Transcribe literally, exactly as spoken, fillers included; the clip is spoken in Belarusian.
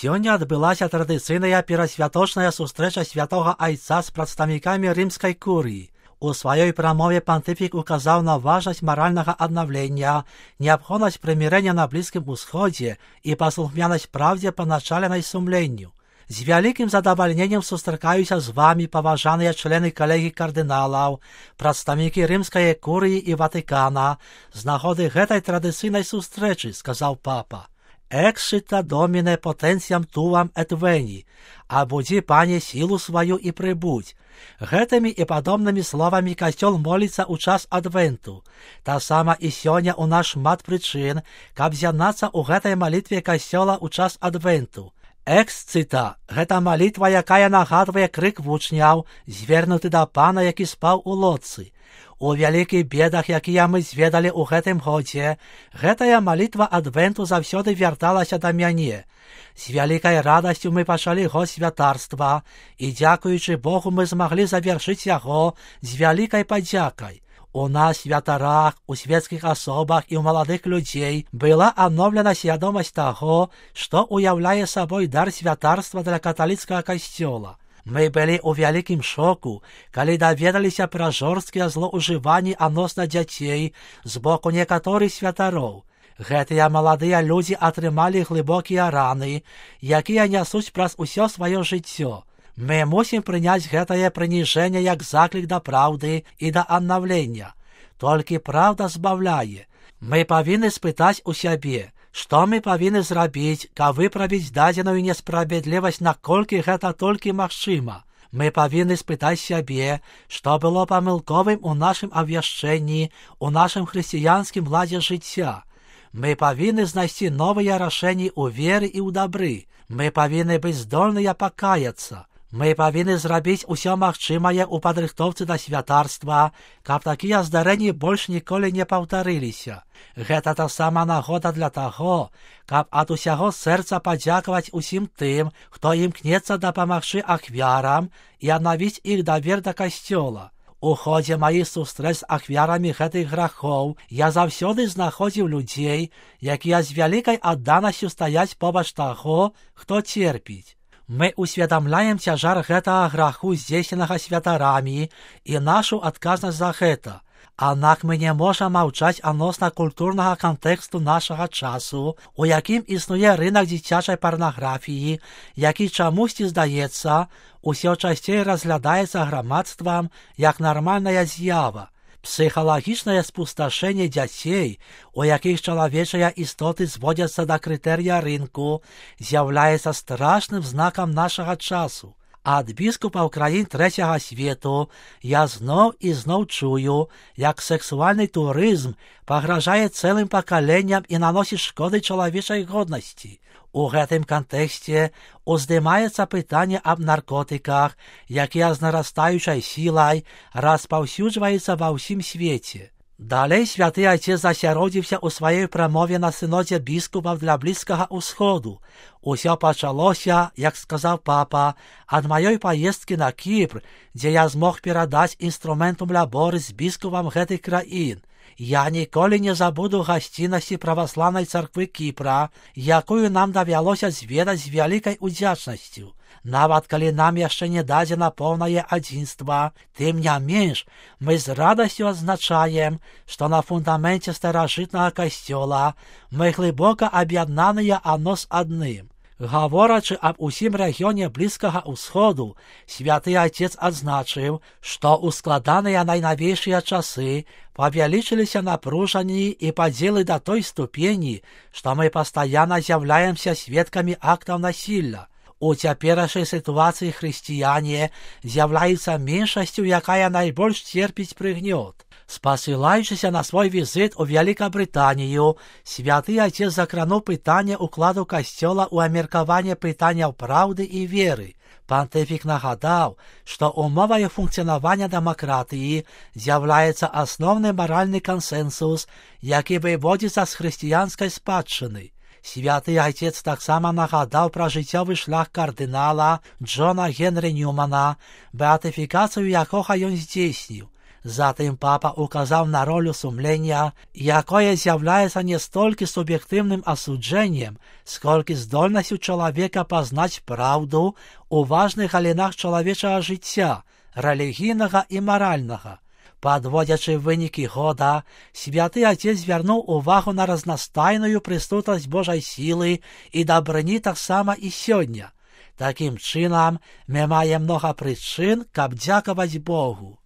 Сёння адбылася традыцыйная перасвяточная сустрэча святога айца з прадстаўнікамі рымскай курыі. У сваёй прамове пантыфік указаў на важнасць маральнага аднаўлення, неабходнасць прымірэння на Блізкім Усходзе і паслухмянасць праўдзе паначаленай сумленню. З вялікім задавальненнем сустракаюся з вамі, паважаныя члены калегій кардыналаў, прадстаўнікі рымскай курыі і Ватыкана, з нагоды гэтай традыцыйнай сустрэчы, сказаў папа. «Экшита домине потенциям туам эт вени, абудзі, пане, сілу сваю і прыбудзь». Гэтымі і падобнымі словамі касцёл моліцца ў час адвенту. Таксама і сёння ў нас шмат прычын, каб з'яднацца ў гэтай малітве касцёла ў час адвенту. Эксцита – гэта малітва, якая нагадвае крык вучняў, звернуты да пана, які спаў у лодцы. У вялікіх бедах, якія мы зведалі ў гэтым годзе, гэтая малітва адвенту заўсёды вярталася да мяне. З вялікай радасцю мы пачалі год святарства, і, дзякуючы Богу, мы змаглі завяршыць яго з вялікай падзякай. У нас, святарах, у свецкіх асобах і ў маладых людзей была адноўлена свядомасць таго, што ўяўляе сабой дар святарства для каталіцкага касцёла. Мы былі ў вялікім шоку, калі даведаліся пра жорсткія злоўжыванні адносна дзяцей з боку некаторых святароў. Гэтыя маладыя людзі атрымалі глыбокія раны, якія нясуць праз усё сваё жыццё. Мы мусім прыняць гэтае прыніжэнне як заклік да праўды і да аднаўлення. Толькі праўда збаўляе. Мы павінны спытаць у сябе, што мы павінны зрабіць, каб выправіць дадзеную несправядлівасць, наколькі гэта толькі магчыма. Мы павінны спытаць сябе, што было памылковым у нашым абвяшчэнні, у нашым хрысціянскім ладзе жыцця. Мы павінны знайсці новыя рашэнні ў веры і ў дабры. Мы павінны быць здольныя пакаяцца. Мы павінны зрабіць усё магчымае ў падрыхтоўцы да святарства, каб такія здарэнні больш ніколі не паўтарыліся. Гэта таксама нагода для таго, каб ад усяго сэрца падзякаваць усім тым, хто імкнецца дапамагчы ахвярам і аднавіць іх давер да касцёла. У ходзе маіх сустрэч з ахвярамі гэтых грахоў я заўсёды знаходзіў людзей, якія з вялікай адданасцю стаяць побач таго, хто церпіць. Мы усведамляем цяжар гэтага граху, здзейсненага святарамі, і нашу адказнасць за гэта. Аднак мы не можам маўчаць адносна культурнага кантэксту нашага часу, у якім існуе рынак дзіцячай парнаграфіі, які чамусьці, здаецца, усё часцей разглядаецца грамадствам як нармальная з'ява. Псіхалагічнае спусташэнне дзяцей, у якіх чалавечыя істоты зводзяцца да крытэрыя рынку, з'яўляецца страшным знакам нашага часу. Ад біскупаў краін трэцяга свету я зноў і зноў чую, як сексуальны турызм пагражае цэлым пакаленням і наносіць шкоды чалавечай годнасці. У гэтым кантэксце уздымаецца пытанне аб наркотыках, якія з нарастаючай сілай распаўсюджваюцца ва ўсім свеце. Далей святы айцец засяродзіўся ў сваёй прамове на сынодзе біскупаў для Блізкага ўсходу. Усё пачалося, як сказаў папа, ад маёй паездкі на Кіпр, дзе я змог перадаць інструментум ляборы з біскупам гэтых краін. Я ніколі не забуду гасціннасці праваслаўнай царквы Кіпра, якую нам давялося зведаць з вялікай удзячнасцю. Нават калі нам яшчэ не дадзена поўнае адзінства, тым не менш мы з радасцю адзначаем, што на фундаменце старажытнага касцёла мы глыбока аб'яднаныя адно з адным. Гаворачы аб усім рэгіёне Блізкага ўсходу, святы айцец адзначыў, што ў складаныя найнавейшыя часы павялічыліся напружанні і падзелы да той ступені, што мы пастаянна з'яўляемся сведкамі актаў насілля. У цяперашняй сітуацыі хрысціяне з'яўляецца меншасцю, якая найбольш церпіць прыгнёт. Спасылаючыся на свой візіт у Вялікабрытанію, святы айцец закрануў пытанне ўкладу касцёла ў абмеркаванне пытанняў праўды і веры. Пантыфік нагадаў, што умовай функцыянавання дэмакратыі з'яўляецца асноўны маральны кансэнсус, які выводзіцца з хрысціянскай спадчыны. Святы айцец таксама нагадаў пра жыццёвы шлях кардынала Джона Генры Ньюмана, беатыфікацыю якога ён здзейсніў. Затым папа указаў на ролю сумлення, якое з'яўляецца не столькі суб'ектыўным асуджэннем, сколькі здольнасцю чалавека пазнаць праўду ў важных галінах чалавечага жыцця, рэлігійнага і маральнага. Падводзячы вынікі года, святы Отец звярнуў увагу на разнастайную прысутнасць Божай сілы і дабрыні таксама і сёння. Такім чынам, мы маем многа прычын, каб дзякаваць Богу.